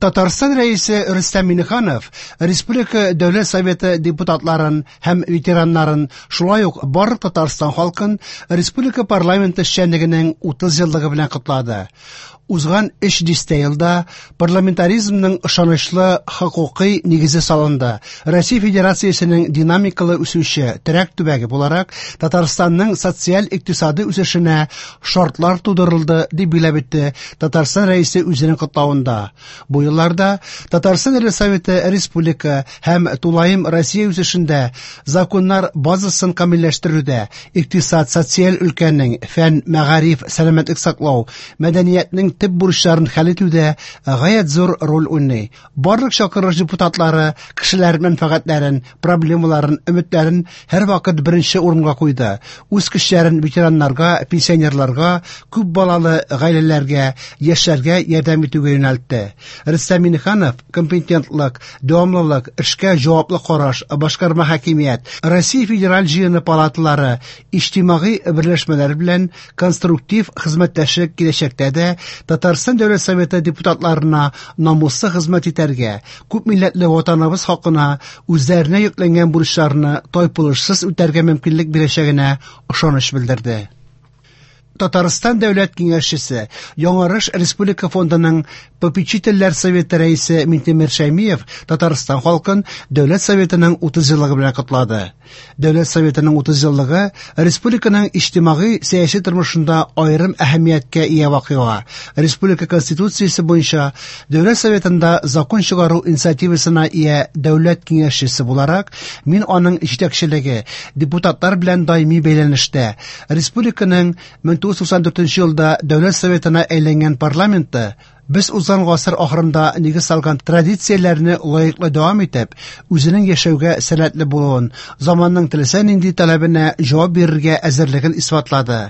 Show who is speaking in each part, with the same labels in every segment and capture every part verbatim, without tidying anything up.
Speaker 1: Татарстан Рәисе Рөстәм Миңнеханов Республика Дәүләт Советы депутатларын һәм ветераннарын, шулай ук барлык Татарстан халкын республика парламенты эшчәнлегенең утыз еллыгы белән котлады. Узган өч дистә елда парламентаризмның ышанычлы хокукый нигезе салынды. Россия Федерациясенең динамикалы үсүче терәк төбәге буларак Татарстанның социаль-икътисади үсешенә шартлар тудырылды, дип билгеләп үтте Татарстан Рәисе үзенең котлавында. Бу елларда Татарстан Дәүләт Советы республика һәм тулаем Россия үсешендә законнар базасын камилләштерүдә, икътисад, социаль өлкәнең, фән, мәгариф, сәламәтлек саклау, мәдәниятнең төп бурычларын хәл итүдә гаять зур роль уйный. Барлык чакырылыш депутатлары кешеләр мәнфәгатьләрен, проблемаларын, өметләрен һәрвакыт беренче урынга куйды. Үз көчләрен ветераннарга, пенсионерларга, күп балалы гаиләләргә, яшьләргә ярдәм итүгә юнәлтте. Рөстәм Миңнеханов компетентлык, дәвамлылык, эшкә җаваплы караш, башкарма хакимият, Россия Федераль җыены палаталары, иҗтимагый берләшмәләр белән конструктив хезмәттәшлек киләчәктә дә Татарстан Дәүләт Советы депутатларына намуслы хезмәт итәргә, күп милләтле ватаныбыз хакына үзләренә йөкләнгән бурычларны тайпылышсыз үтәргә мөмкинлек бирәчәгенә ышаныч белдерде. Татарстан Дәүләт Киңәшчесе, Яңарыш Республика фондының попечительләр советы рәисе Минтимер Шәймиев Татарстан халкын Дәүләт Советының утыз еллыгы белән котлады. Дәүләт Советының утыз еллыгы республиканың иҗтимагый сәяси тормышында аерым әһәмияткә ия вакыйга. Республика Конституциясе буенча Дәүләт Советында закон чыгару инициативасына ия Дәүләт Киңәшчесе буларак, мин аның җитәкчелеге, депутатлар белән даими бәйләнештә, республиканың мең тугыз йөз туксан дүртенче елда Дәүләт Советына әйләнгән парламенты без узган гасыр ахырында нигез салган традицияләрне лаеклы дәвам итеп, үзенең яшәүгә сәләтле булуын, заманның теләсә нинди таләбенә җавап бирергә әзерлеген исбатлады.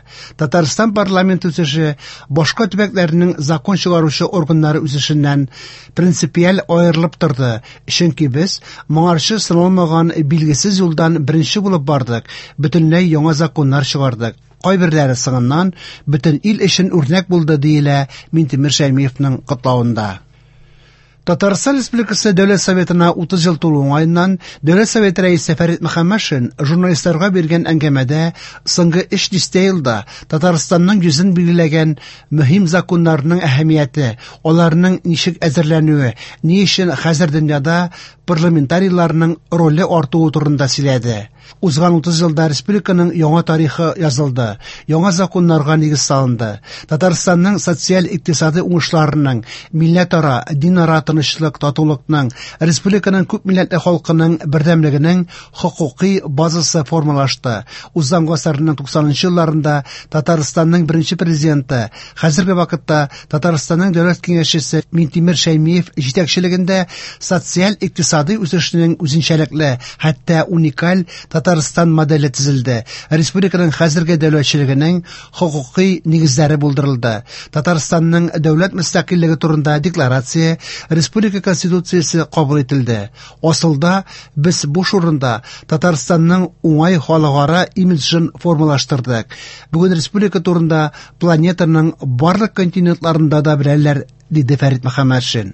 Speaker 1: Татарстан парламент үсеше башка төбәкләрнең закон чыгаручы органнары үсешеннән принципиаль аерылып торды, чөнки без моңарчы сыналмаган билгесез юлдан беренче булып бардык, бөтенләй яңа законнар чыгардык. Кайберләре соңыннан бөтен ил өчен үрнәк булды, диелә Минтимер Шәймиевның котлавында. Татарстан Республикасы Дәүләт Советына утыз ел тулу уңаеннан Дәүләт Советы рәисе Фәрит Мөхәммәтшин журналистларга биргән әңгәмәдә соңгы өч дистә елда Татарстанның йөзен билгеләгән мөһим законнарның әһәмияте, аларның ничек әзерләнүе, ни өчен хәзер дөньяда парламентарийларның роле артуы турында сөйләде. Узган утыз елда республиканың яңа тарихы язылды, яңа законнарга нигез салынды. Татарстанның социаль-икътисади уңышларының, милләтара, динара тынычлык, татулыкның, республиканың күп милләтле халкының бердәмлегенең хокукый базасы формалашты. Узган гасырның туксанынчы елларында Татарстанның беренче президенты, хәзерге вакытта Татарстанның Дәүләт Киңәшчесе Минтимер Шәймиев җитәкчелегендә социаль-икътисади үсешнең үзенчәлекле, хәтта уникаль Татарстан моделе төзелде. Республиканың хәзерге дәүләтчелегенең хокукый нигезләре булдырылды. Татарстанның дәүләт мөстәкыйльлеге турында декларация, республика конституциясе кабул ителде. Асылда без буш урында Татарстанның уңай халыкара имиджын формалаштырдык. Бүген республика турында планетаның барлык континентларында да беләләр, диде Фәрит Мөхәммәтшин.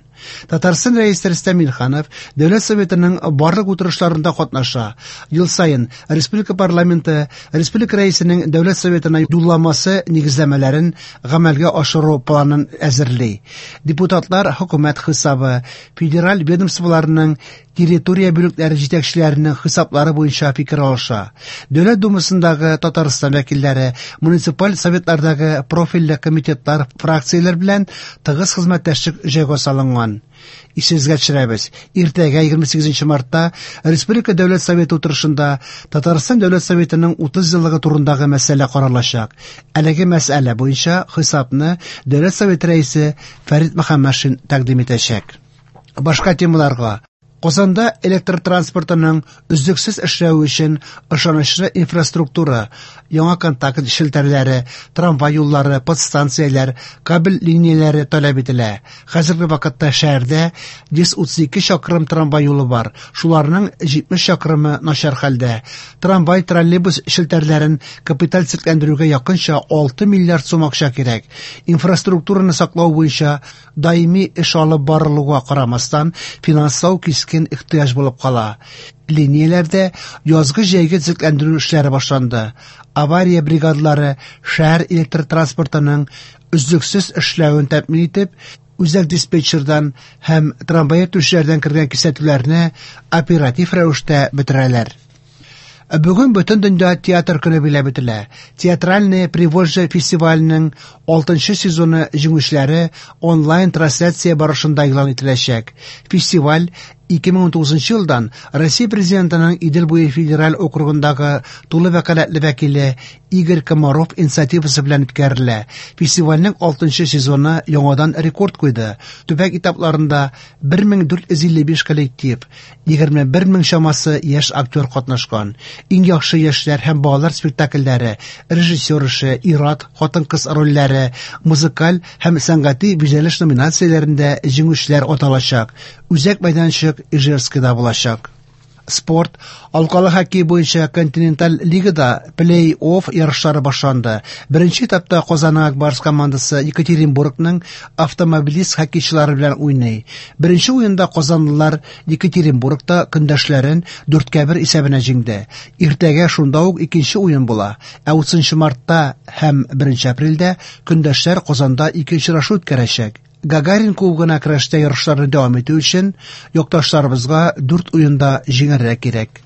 Speaker 1: Татарстан Рәисе Рөстәм Миңнеханов Дәүләт Советының барлык утырышларында катнаша. Ел саен республика парламенты республика рәисенең Дәүләт Советына юлламасы нигезләмәләрен гамәлгә ашыру планын әзерли. Депутатлар хөкүмәт хисабы, федераль ведомстволарның территория бүлекләре җитәкчеләренең хисаплары буенча фикер алыша. Дәүләт Думасындагы Татарстан вәкилләре, муниципаль советлардагы профильле комитетлар, фракцияләр белән тыгыз хезмәттәшлек җайга салынган. Исегезгә төшерәбез. Иртәгә егерме сигезенче мартта Республика Дәүләт Советы утырышында Татарстан Дәүләт Советының утыз еллыгы турындагы мәсьәлә каралачак. Әлеге мәсьәлә буенча хисапны Дәүләт Советы рәисе Фәрит Мөхәммәтшин тәкъдим итәчәк. Башка темаларга. Казанда электр транспортының өзлексез эшләве өчен ышанычлы инфраструктура, яңа контакт челтәрләре, трамвай юллары, подстанцияләр, кабель линияләре таләп ителә. Хәзерге вакытта шәһәрдә йөз утыз ике чакрым трамвай юлы бар, шуларның җитмеш чакрымы начар хәлдә. Трамвай, троллейбус челтәрләрен капиталь төзекләндерүгә якынча алты миллиард сум акча кирәк. Инфраструктураны саклау буенча даими эш алып барылуга карамастан, финанслау кискен ихтыяҗ булып кала. Линияләрдә язгы-җәйге төзекләндерү эшләре башланды. Авария бригадалары шәһәр электр транспортының өзлексез эшләвен тәэмин итеп, үзәк диспетчердан һәм трамвай йөртүчеләрдән кергән кисәтүләрне оператив рәвештә бетерәләр. Бүген бөтен дөнья театр көне биләп үтелә. Театральное Приволжье фестиваленең алтынчы сезоны җиңүчеләре онлайн трансляция барышында игълан ителәчәк. Фестиваль ике мең унтугызынчы елдан Россия президентының Идел буе федераль округындагы тулы вәкаләтле вәкиле Игорь Комаров инициативасы белән үткәрелә. Фестивальнең алтынчы сезоны яңадан рекорд куйды. Төбәк этапларында бер мең дүрт йөз илле биш коллектив, егерме бер мең чамасы яшь актер катнашкан. Иң яхшы яшьләр һәм балалар спектакльләре, режиссер эше, ир-ат, хатын-кыз рольләре, музыкаль һәм сәнгати бизәлеш номинацияләрендә җиңүчеләр аталачак. Үзәк мәйданчык Ижевскида булачак. Спорт, алкалы хоккей буенча континенталь лигада плей-офф ярышлары башланды. Беренче этапта Казанның Ак Барс командасы Екатеринбургның автомобилист хоккейчылары белән уйный. Беренче уенда казанлылар Екатеринбургта көндәшләрен дүрткә бер исәбенә җиңде. Иртәгә шунда ук икенче уен була. Ә утызынчы мартта һәм беренче апрельдә көндәшләр Казанда ике очрашу үткәрәчәк. Гагарин кубогына көрәштә ярышларны дәвам итү өчен якташларыбызга дүрт уенда җиңәргә кирәк.